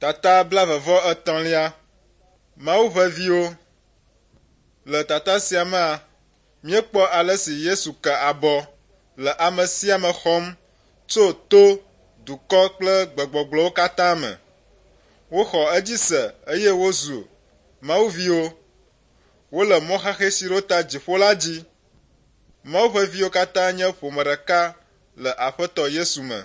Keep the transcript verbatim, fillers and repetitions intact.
Tata blaeve-vɔ-etɔ̃lia. Mawu ƒe viwo. Le tata sia mea, míekpɔ ale si Yesu ke abɔ le ame sia ame xɔm tso to, dukɔ kple gbegbɔgblɔwo katã me. Woxɔ edzi se eye wozu Mawu viwo. Wole mɔ xaxɛ si ɖo ta dziƒo la dzi. Mawu ƒe viwo katã nye ƒome ɖeka le Aƒetɔ Yesu me.